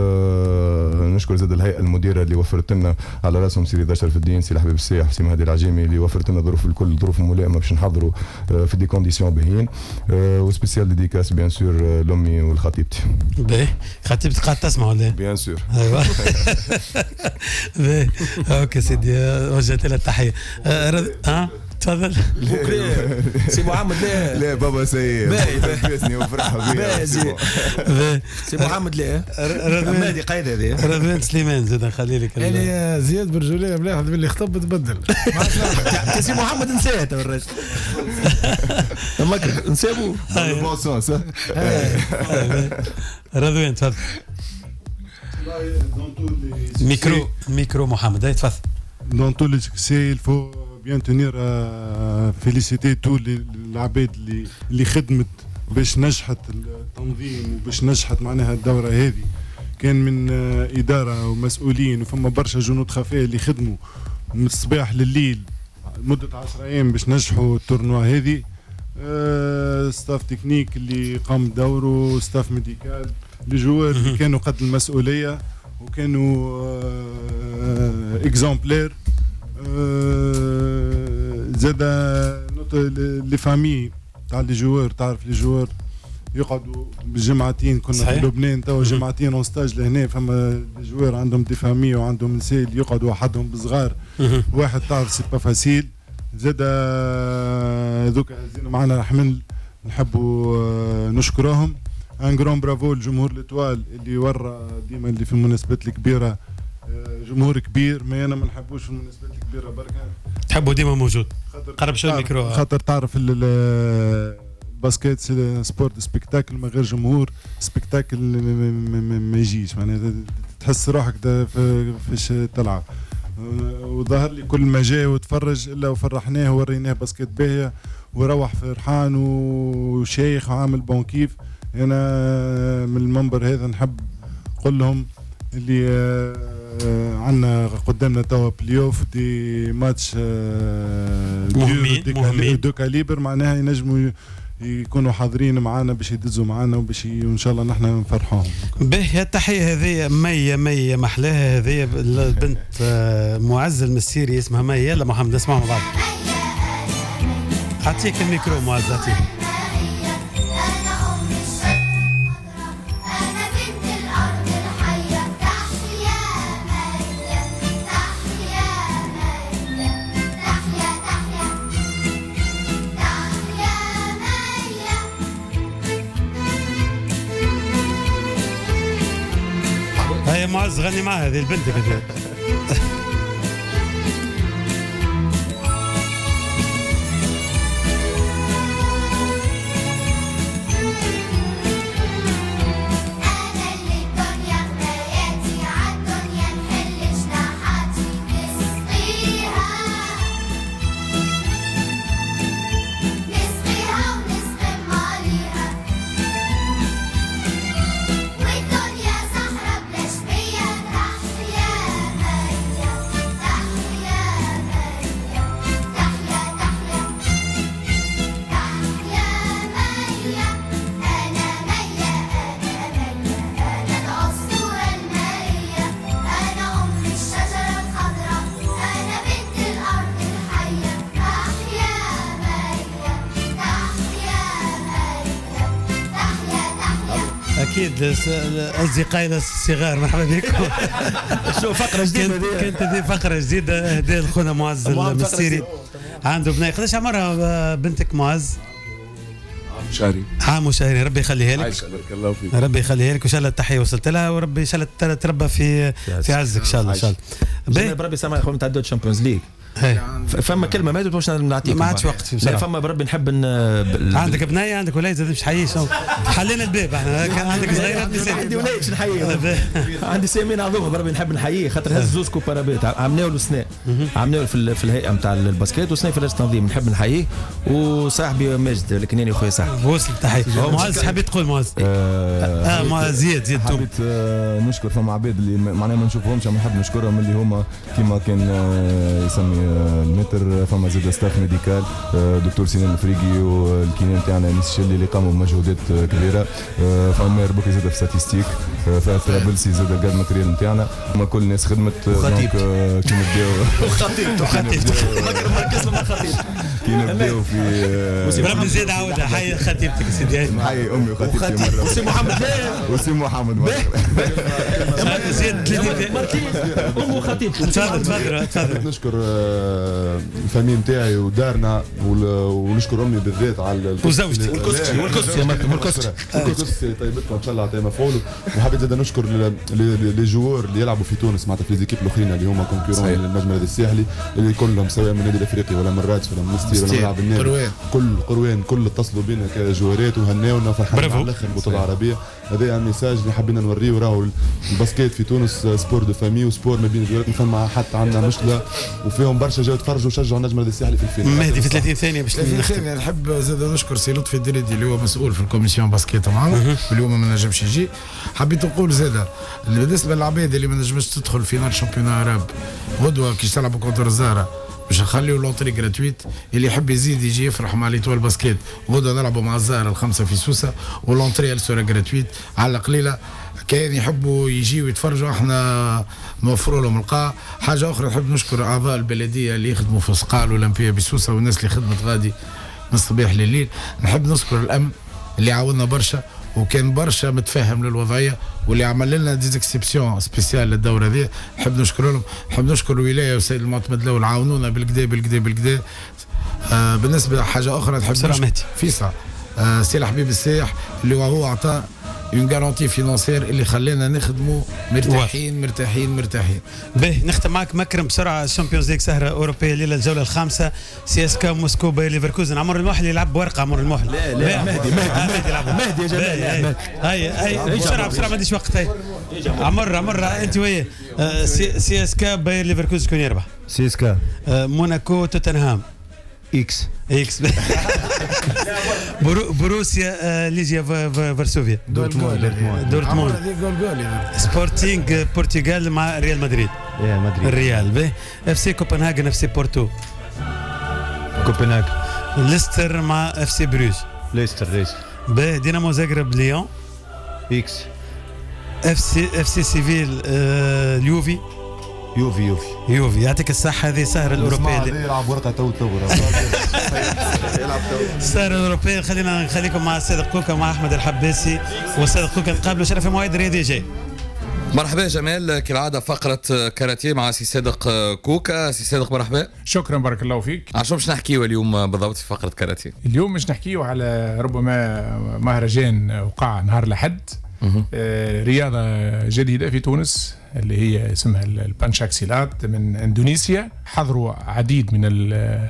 نشكر زاد الهيئة المديرة اللي وفرت لنا على راسهم سي رضا شرف الدين، سي الحبيب السياح، سي مهدي العجيمي، اللي وفرت لنا ظروف الكل، ظروف ملائمه باش نحضروا في des conditions باهيين. و spéciale dédicace bien sûr لامي ولخطيبتي. باهي، خطيبتك قاعدة تسمع ولا؟ bien sûr. ايوا باهي، OK سيدي، وجهت لها التحية. تفضل. سي محمد. لا لا بابا سي باسني وفرح بيا. سي محمد لا مهدي قايد هذه. رضوان سليمان زاد نخلي لك. يعني زياد برجولية ملاحظ باللي خطب تبدل. سي محمد نساه تو الراجل. نسابو. bon sens. رضوان تفضل. micro محمد تفضل. Dans tous les succès, il faut bien tenir à féliciter tous les العباد اللي خدمت باش نجحت التنظيم وباش نجحت معناها الدورة هذه. كان من إدارة ومسؤولين، وفما برشا جنود خفاء اللي خدموا من الصباح لليل مدة 10 أيام باش نجحوا ال tournoi هذه. staff technique اللي قام بدوره، staff médical، les joueurs اللي كانوا قد المسؤولية وكانوا exemplaires. زاد les familles تاع les joueurs، تعرف les joueurs يقعدوا بالجمعتين، كنا في لبنان توا جمعتين en stage لهنا، فما des joueurs عندهم des familles وعندهم نساء اللي يقعدوا وحدهم بصغار واحد، تعرف c'est pas facile. زاد هذوك هزينا معنا حمل، نحبوا نشكرهم. un grand bravo لجمهور l'Étoile اللي ورى ديما اللي في المناسبات الكبيرة جمهور كبير، ما انا ما نحبوش في المناسبات الكبيرة بركة، تحبوا ديما موجود. قرب شوية الميكرو خاطر تعرف ال basket c'est sport spectacle، من غير جمهور spectacle ما يجيش، معناها تحس روحك فاش تلعب. وظهر لي كل ما جاء وتفرج الا وفرحناه ووريناه basket باهيه وروح فرحان وشيخ وعامل bon كيف. انا من المنبر هذا نحب نقول لهم اللي عندنا قدامنا توا play-off des matchs مهمين de calibre، معناها ينجموا يكونوا حاضرين معنا باش يدزوا معنا وباش وان شاء الله نحن نفرحوهم. باهي التحية هذه مية مية محلاها، هذه البنت معز المسيري اسمها مية. يلا محمد نسمعها مع بعض. اعطيك الميكرو معز، اعطيك. هيا معز غني معها هذه البنت كده. اكيد اصدقائي الصغار مرحبا بكم. شو فقره جديدة كانت هذه فقره جديدة هداها لخونا معز المستيري، عنده بنيه. قداش عمرها بنتك معز؟ عام وشهرين. عام وشهرين، ربي يخليها لك. عايشة بارك الله فيك. ربي يخليها لك وان شاء الله التحية وصلت لها، وربي ان شاء الله تربى في عزك ان شاء الله. ان شاء الله بربي سامع يا خويا نتعدوا Champions League. فما كلمة ما باش نعطيك، ما عادش وقت. لا فما بربي نحب عندك بنيه عندك ولاد زاد مش حييش، حلينا الباب احنا. كان عندك صغيرات عندي ولاد باش نحييه، عندي سامين عظومه بربي نحب نحييه خاطر هز زوز coupe arabe عملناو له سنة، عملناو في الهيئة نتاع ال basket وسنة في لجنة التنظيم، نحب نحييه. وصاحبي ماجد الكناني خويا صاحبي وصل تحية. معز حبيت تقول معز؟ معز زيد حبيت نشكر فما عباد اللي معناها ما نشوفهمش، اما نحب نشكرهم اللي هما كيما كان يسمي المتر، فما زاد staff médical دكتور سنان الافريقي وال kiné نتاعنا انيس الشلي اللي قاموا بمجهودات كبيرة، فما ماهر بوكي زاد في statistiques، فما طرابلسي زاد ال garde matériel نتاعنا، هما كل الناس خدمت. donc كي نبداو وخطيبته كي نبداو في بربي زيد عاودها حي خطيبتك سيدي، حي امي وخطيبتي مرة، وسي محمد وسي محمد زيد امه وخطيبته. تفضل تفضل تفضل. نشكر ال famille نتاعي ودارنا ونشكر امي بالذات على وزوجتي والكسكسي والكسكسي والكسكسي طيبتنا ان شاء الله عطيها مفعول. وحبيت زاد نشكر les joueurs اللي يلعبوا في تونس معناتها في les équipes الاخرين اللي هما concurrents للنجم الرياضي الساحلي اللي كلهم سواء من النادي الافريقي ولا من رادس ولا من مستير ولا من ملعب النادي، كل قروان كل اتصلوا بينا كجوارات وهناونا فرحانين على الاخر البطولة العربية. هذا un message اللي حبينا نوريه، راهو ال basket في تونس sport de famille و sport ما بين الجوارات، ما فما حتى عندنا مشكلة، وفيهم برشا جاو تفرجوا وشجعوا النجم الرياضي الساحلي في ال finale. مهدي في 30 ثانية باش 30 ثانية نحب زاد نشكر سي لطفي الدريدي اللي هو مسؤول في ال commission basket معنا واليوم ما نجمش يجي. حبيت نقول زاد بالنسبة للعباد اللي ما نجمش تدخل finale championnat arabe غدوه كي تلعب contre الزهرة باش نخليو l'entrée gratuite، اللي يحب يزيد يجي يفرح مع l'Étoile basket. غدا نلعبوا مع الزهرة 5 في سوسة و l'entrée sera gratuite على قليله. كان يحبوا يجيوا يتفرجوا احنا نوفروا لهم القاعة. حاجة اخرى نحب نشكر اعضاء البلدية اللي يخدموا في القاعة الاولمبية بسوسه والناس اللي خدمت غادي من الصباح لليل. نحب نشكر الامن اللي عاوننا برشا وكان برشا متفهم للوضعيه واللي عمل لنا des exceptions spéciales للدورة هذه، نحب نشكر لهم. نحب نشكر الولاية والسيد المعتمد الاول عاونونا بالكدا بالكدا بالكدا. بالنسبة لحاجة اخرى نحب نشكر فيصل سي الحبيب السايح اللي هو عطى une garantie financière اللي خلانا نخدموا مرتاحين مرتاحين مرتاحين. باهي نختم معك مكرم بسرعة. ال Champions League سهره اوروبية الليلة الجولة الخامسة، CSKA موسكو باير ليفركوزن. عمر الموحل يلعب بورقه. عمر الموحل لا لا مهدي مهدي مهدي مهدي يا جماعة. هاي هاي بسرعة بسرعة ما عنديش وقت. هاي عمر عمر انت وياه. CSKA باير ليفركوزن شكون يربح؟ CSKA. موناكو توتنهام. X X. بروسيا ليجيا فارسوفيا. دورتموند. دورتموند. سبورتينغ بورتغال مع ريال مدريد. يا مدريد. الريال. به FC كوبنهاجن FC بورتو. كوبنهاجن. ليستر مع FC بروج. ليستر ليستر. به دينامو زاغرب ليون. X. FC سيفيل اليوفي. يوفي يوفي يوفي. يعطيك الصحة. هذه سهرة الأوروبية يلعب ورقة تو تو السهرة الأوروبية. خلينا نخليكم مع الصادق كوكا ومع أحمد الحباسي والصادق كوكا. نقابلوا شرف مواعيد رياضي جاي. مرحبا جمال، كالعادة فقرة كاراتيه مع سي صادق كوكا. سي صادق مرحبا. شكرا بارك الله فيك. عشان باش نحكيو اليوم بالضبط في فقرة كاراتيه؟ اليوم باش نحكيو على ربما مهرجان وقع نهار الأحد، رياضة جديدة في تونس اللي هي اسمها البانشاكسيلات من اندونيسيا. حضروا عديد من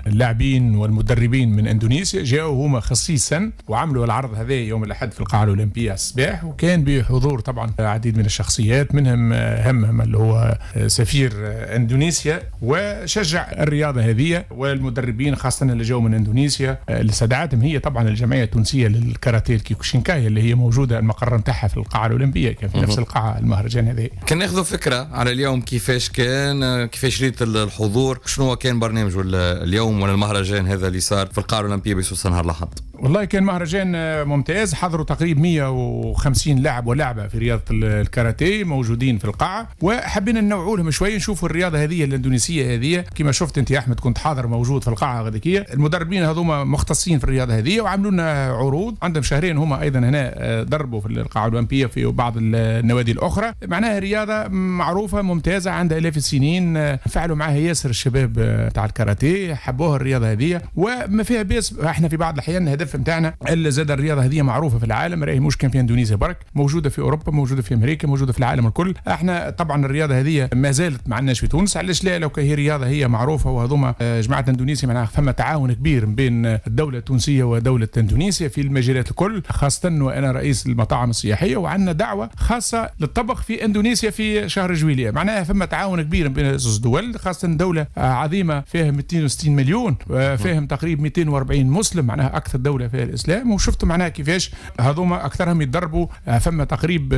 اللاعبين والمدربين من اندونيسيا، جاءوا هما خصيصا وعملوا العرض هذا يوم الاحد في القاعة الاولمبية الصباح، وكان بحضور طبعا عديد من الشخصيات، منهم اهمهم اللي هو سفير اندونيسيا، وشجع الرياضة هذه والمدربين خاصة اللي جاوا من اندونيسيا اللي استدعتهم هي طبعا الجمعية التونسية للكاراتيه الكيوكوشينكاي اللي هي موجودة المقر نتاعها في القاعة الاولمبية، كان في نفس القاعة المهرجان هذا. كان ناخذ فكرة على اليوم كيفاش كان، كيفاش ريت الحضور، شنو كان برنامجه اليوم ولا المهرجان هذا اللي صار في القاعة الأولمبية بسوسة نهار الأحد؟ والله كان مهرجان ممتاز، حضروا تقريبا 150 لاعب ولاعبة في رياضة الكاراتيه موجودين في القاعة، وحبينا ننوعوا لهم شوية نشوفوا الرياضة هذه الإندونيسية هذه. كما شفت أنت يا أحمد كنت حاضر موجود في القاعة غاديكية، المدربين هذوما مختصين في الرياضة هذه وعملوا لنا عروض، عندهم شهرين هما أيضا هنا دربوا في القاعة الأولمبية في بعض النوادي الأخرى. معناها رياضة معروفة ممتازة عندها آلاف السنين، فعلوا معها ياسر الشباب تاع الكاراتيه، حبوها الرياضة هذه وما فيها بيس. احنا في بعض الأحيان الهدف نتاعنا الا زاد الرياضة هذه معروفة في العالم، راهي مش كان في اندونيسيا برك، موجودة في اوروبا، موجودة في امريكا، موجودة في العالم الكل. احنا طبعا الرياضة هذه ما زالت ما عندناش في تونس، علاش لا؟ لو هي رياضة هي معروفة وهذوما جماعة اندونيسيا معناها فما تعاون كبير بين الدولة التونسية ودولة اندونيسيا في المجالات الكل، خاصة وانا رئيس المطاعم السياحية وعندنا دعوه خاصة للطبخ في اندونيسيا في شهر جويلية، معناها فما تعاون كبير بين زوج دول، خاصة دولة عظيمة فيها 260 مليون، فيهم تقريبا 240 مسلم، معناها اكثر دولة فيها الاسلام. وشفتوا معناها كيفاش هذوما اكثرهم يتدربوا، فما تقريب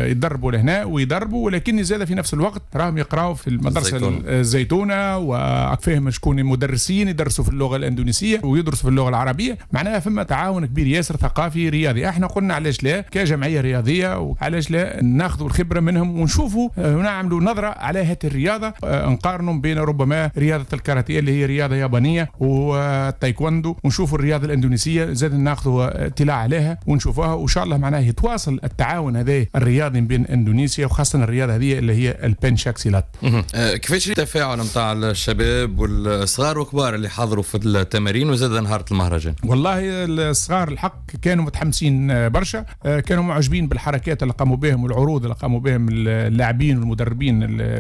يتدربوا لهنا ويدربوا، ولكن زاد في نفس الوقت راهم يقراوا في المدرسة الزيتونه، وفيهم شكون مدرسين يدرسوا في اللغة الاندونيسيه ويدرسوا في اللغة العربية، معناها فما تعاون كبير ياسر ثقافي رياضي. احنا قلنا علاش لا كجمعية رياضية، وعلاش لا ناخذوا الخبرة منهم ونشوفوا ونعملوا نظره على هذه الرياضة، نقارنوا بين ربما رياضة الكاراتيه اللي هي رياضة يابانية والتايكوندو، ونشوفوا الرياضة الاندونيسيه زاد ناخذوا اطلاع عليها ونشوفوها، وان شاء الله معناها يتواصل التعاون هذا الرياضي بين اندونيسيا وخاصة الرياضة هذه اللي هي البنشاكسيلات. كيفاش التفاعل نتاع الشباب والصغار والكبار اللي حضروا في التمارين وزاد نهار المهرجان؟ والله الصغار الحق كانوا متحمسين برشا، كانوا معجبين بالحركات اللي قاموا بهم والعروض اللي قاموا بهم اللاعبين والمدربين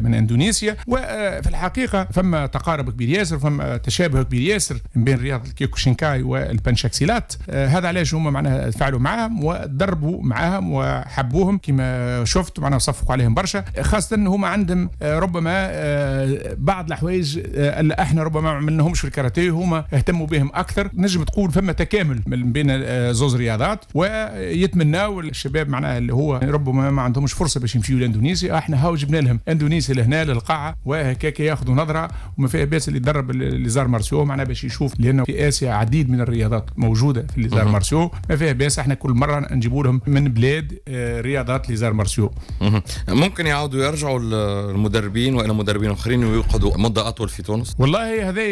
من اندونيسيا. وفي الحقيقة فما تقارب كبير ياسر، فما تشابه كبير ياسر بين رياضة الكيوكوشينكاي والبنشاكسيلات. الرياضات. هذا علاش هما معناها تفاعلوا معاهم ودربوا معاهم وحبوهم كما شفت، معناها صفقوا عليهم برشا، خاصة هما عندهم ربما بعض الحوايج اللي احنا ربما ما عملناهمش في الكاراتيه هما اهتموا بهم اكثر. نجم تقول فما تكامل من بين زوز رياضات، ويتمناو الشباب معناها اللي هو ربما ما عندهمش فرصة باش يمشيوا لاندونيسيا، احنا هاو جبنا لهم اندونيسيا لهنا للقاعه، وهكاك ياخذوا نظره، وما فيها باس اللي يدرب les arts martiaux معناها باش يشوف، لانه في اسيا عديد من الرياضات موجودة في les arts martiaux، ما فيها باس احنا كل مرة نجيبوا لهم من بلاد رياضات les arts martiaux. ممكن يعاودوا يرجعوا المدربين والى مدربين اخرين ويقعدوا مده اطول في تونس؟ والله هذا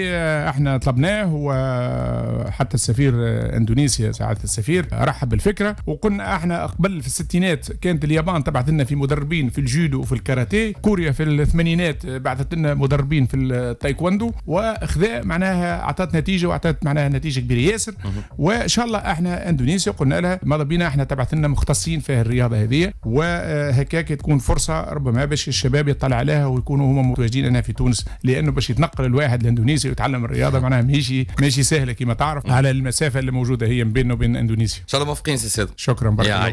احنا طلبناه، وحتى السفير اندونيسيا سعادة السفير رحب بالفكرة، وقلنا احنا قبل في الستينات كانت اليابان تبعث لنا في مدربين في الجودو وفي الكاراتيه، كوريا في الثمانينات بعثت لنا مدربين في التايكوندو، وخذا معناها اعطت نتيجة، واعطت معناها نتيجة كبيرة ياسر. وان شاء الله احنا اندونيسيا قلنا لها ماذا بينا احنا تبعث لنا مختصين في الرياضة هذه، وهكاك تكون فرصة ربما باش الشباب يطلع عليها ويكونوا هما متواجدين هنا في تونس، لانه باش يتنقل الواحد لاندونيسيا ويتعلم الرياضة معناها ماشي سهلة كما تعرف على المسافة اللي موجودة هي بيننا وبين اندونيسيا. ان شاء الله موفقين سي سيد. شكرا، بارك الله.